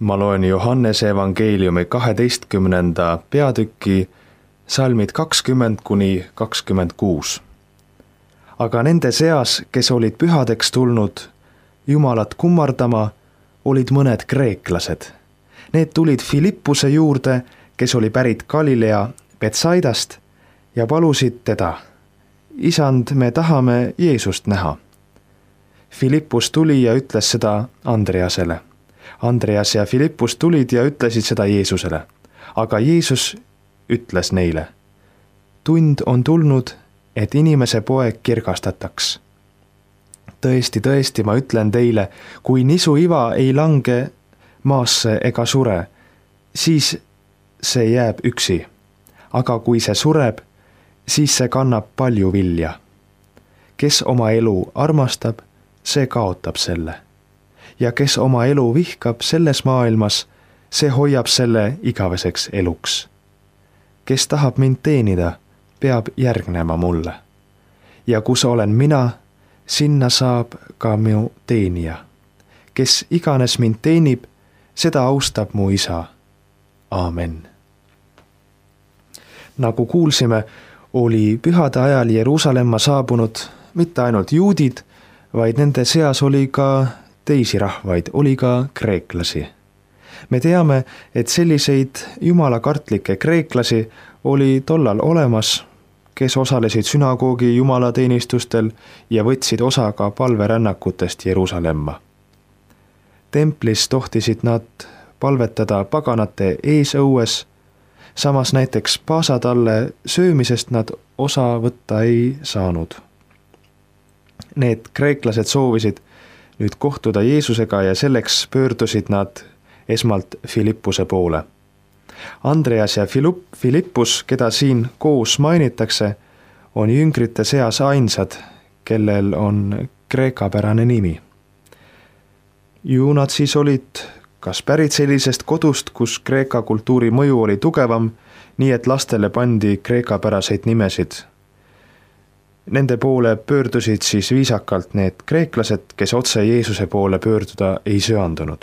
Ma loen Johannese evangeeliumi 12. peatüki salmid 20–26. Aga nende seas, kes olid pühadeks tulnud Jumalat kummardama, olid mõned kreeklased. Need tulid Filippuse juurde, kes oli pärit Galilea Betsaidast, ja palusid teda: Isand, me tahame Jeesust näha. Filippus tuli ja ütles seda Andreasele. Andreas ja Filippus tulid ja ütlesid seda Jeesusele. Aga Jeesus ütles neile: Tund on tulnud, et inimese poeg kirgastataks. Tõesti, tõesti, ma ütlen teile, kui nisuiva ei lange maasse ega sure, siis see jääb üksi. Aga kui see sureb, siis see kannab palju vilja. Kes oma elu armastab, see kaotab selle. Ja kes oma elu vihkab selles maailmas, see hoiab selle igaveseks eluks. Kes tahab mind teenida, peab järgnema mulle. Ja kus olen mina, sinna saab ka minu teenija. Kes iganes mind teenib, seda austab mu isa. Aamen. Nagu kuulsime, oli pühade ajal Jeruusalemma saabunud mitte ainult juudid, vaid nende seas oli ka teisi rahvaid, oli ka kreeklasi. Me teame, et selliseid jumalakartlikke kreeklasi oli tollal olemas, kes osalesid sünagoogi jumalateenistustel ja võtsid osa ka palverännakutest Jeruusalemma. Templis tohtisid nad palvetada paganate eesõues, samas näiteks paasatalle söömisest nad osa võtta ei saanud. Need kreeklased soovisid nüüd kohtuda Jeesusega ja selleks pöördusid nad esmalt Filippuse poole. Andreas ja Filippus, keda siin koos mainitakse, on jüngrite seas ainsad, kellel on kreekapärane nimi. Ju nad siis olid kas pärit sellisest kodust, kus kreeka kultuuri mõju oli tugevam, nii et lastele pandi kreekapäraseid nimesid. Nende poole pöördusid siis viisakalt need kreeklased, kes otse Jeesuse poole pöörduda ei söandunud.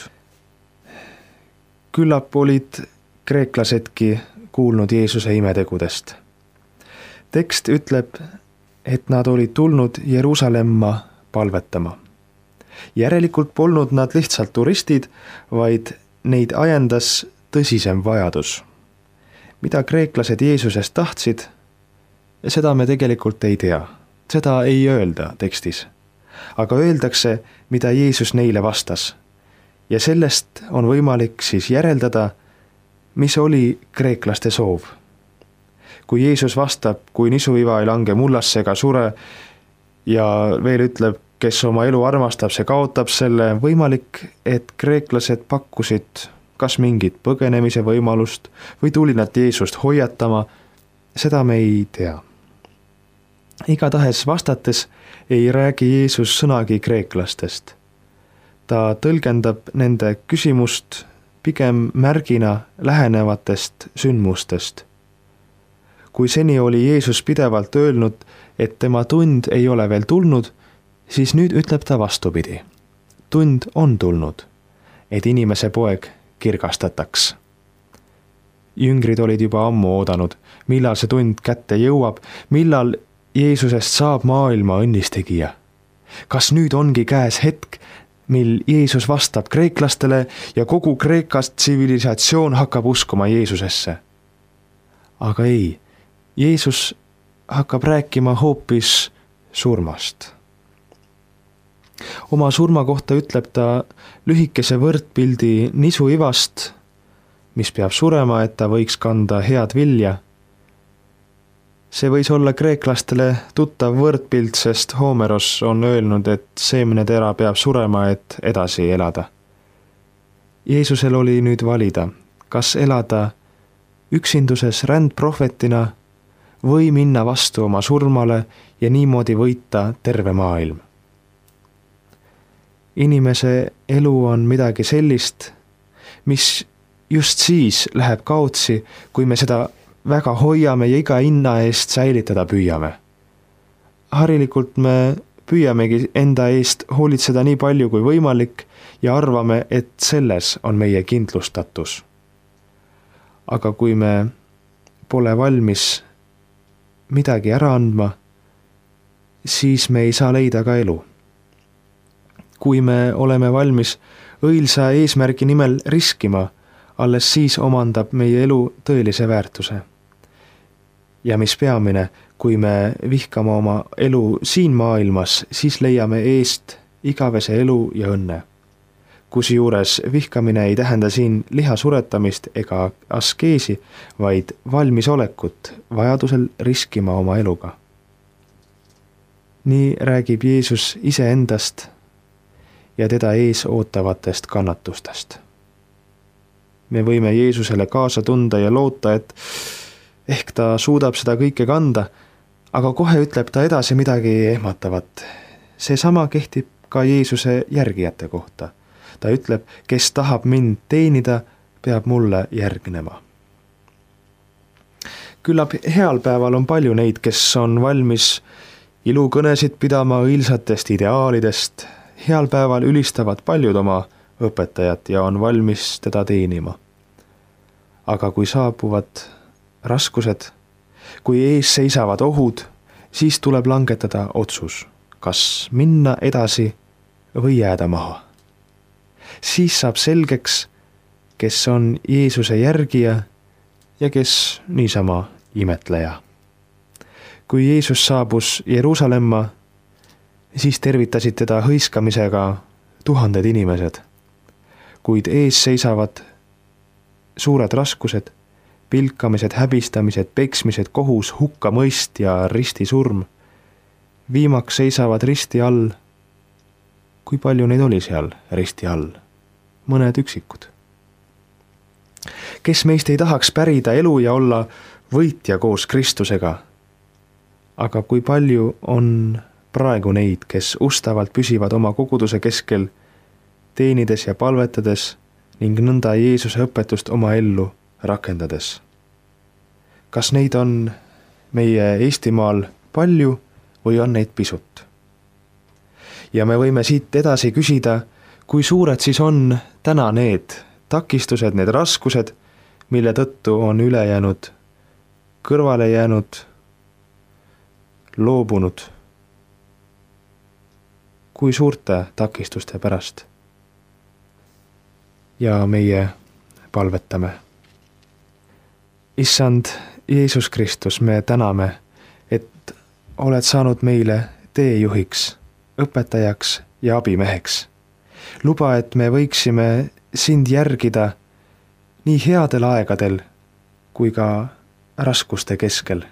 Küllap olid kreeklasedki kuulnud Jeesuse imetegudest. Tekst ütleb, et nad olid tulnud Jeruusalemma palvetama. Järelikult polnud nad lihtsalt turistid, vaid neid ajendas tõsisem vajadus. Mida kreeklased Jeesusest tahtsid, seda me tegelikult ei tea. Seda ei öelda tekstis. Aga öeldakse, mida Jeesus neile vastas. Ja sellest on võimalik siis järeldada, mis oli kreeklaste soov. Kui Jeesus vastab, kui nisuiva ei lange mullasse ega sure, ja veel ütleb, kes oma elu armastab, see kaotab selle, võimalik, et kreeklased pakkusid kas mingit põgenemise võimalust või tuli nad Jeesust hoiatama, seda me ei tea. Igatahes vastates ei räägi Jeesus sõnagi kreeklastest. Ta tõlgendab nende küsimust pigem märgina lähenevatest sündmustest. Kui seni oli Jeesus pidevalt öelnud, et tema tund ei ole veel tulnud, siis nüüd ütleb ta vastupidi. Tund on tulnud, et inimese poeg kirgastataks. Jüngrid olid juba ammu oodanud, millal see tund kätte jõuab, millal Jeesusest saab maailma õnnistegija. Kas nüüd ongi käes hetk, mil Jeesus vastab kreeklastele ja kogu Kreekast tsivilisatsioon hakkab uskuma Jeesusesse? Aga ei, Jeesus hakkab rääkima hoopis surmast. Oma surma kohta ütleb ta lühikese võrdpildi nisuivast, mis peab surema, et ta võiks kanda head vilja. See võis olla kreeklastele tuttav võrdpilt, sest Homeros on öelnud, et seemnetera peab surema, et edasi elada. Jeesusel oli nüüd valida, kas elada üksinduses rändprohvetina või minna vastu oma surmale ja niimoodi võita terve maailm. Inimese elu on midagi sellist, mis just siis läheb kaotsi, kui me seda väga hoiame ja iga hinna eest säilitada püüame. Harilikult me püüamegi enda eest hoolitseda nii palju kui võimalik ja arvame, et selles on meie kindlustatus. Aga kui me pole valmis midagi ära andma, siis me ei saa leida ka elu. Kui me oleme valmis õilsa eesmärgi nimel riskima, alles siis omandab meie elu tõelise väärtuse. Ja mis peamine, kui me vihkame oma elu siin maailmas, siis leiame eest igavese elu ja õnne. Kusjuures vihkamine ei tähenda siin liha suretamist ega askeesi, vaid valmisolekut vajadusel riskima oma eluga. Nii räägib Jeesus iseendast ja teda ees ootavatest kannatustest. Me võime Jeesusele kaasa tunda ja loota, et ehk ta suudab seda kõike kanda, aga kohe ütleb ta edasi midagi ehmatavat. Seesama kehtib ka Jeesuse järgijate kohta. Ta ütleb, kes tahab mind teenida, peab mulle järgnema. Küllap heal päeval on palju neid, kes on valmis ilukõnesid pidama õilsatest ideaalidest. Heal päeval ülistavad paljud oma õpetajat ja on valmis teda teenima. Aga kui saabuvad raskused, kui ees seisavad ohud, siis tuleb langetada otsus, kas minna edasi või jääda maha. Siis saab selgeks, kes on Jeesuse järgija ja kes niisama imetleja. Kui Jeesus saabus Jeruusalemma, siis tervitasid teda hõiskamisega tuhanded inimesed. Kuid ees seisavad suured raskused, pilkamised, häbistamised, peksmised, kohus, hukkamõist ja ristisurm. Viimaks seisavad risti all. Kui palju neid oli seal risti all? Mõned üksikud. Kes meist ei tahaks pärida elu ja olla võitja koos Kristusega? Aga kui palju on praegu neid, kes ustavalt püsivad oma koguduse keskel, teenides ja palvetades ning nõnda Jeesuse õpetust oma ellu rakendades? Kas neid on meie Eestimaal palju või on neid pisut? Ja me võime siit edasi küsida, kui suured siis on täna need takistused, need raskused, mille tõttu on ülejäänud, kõrvale jäänud, loobunud. Kui suurte takistuste pärast? Ja meie palvetame. Issand Jeesus Kristus, me täname, et oled saanud meile teejuhiks, õpetajaks ja abimeheks. Luba, et me võiksime sind järgida nii headel aegadel kui ka raskuste keskel.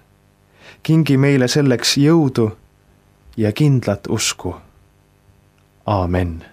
Kingi meile selleks jõudu ja kindlat usku. Aamen.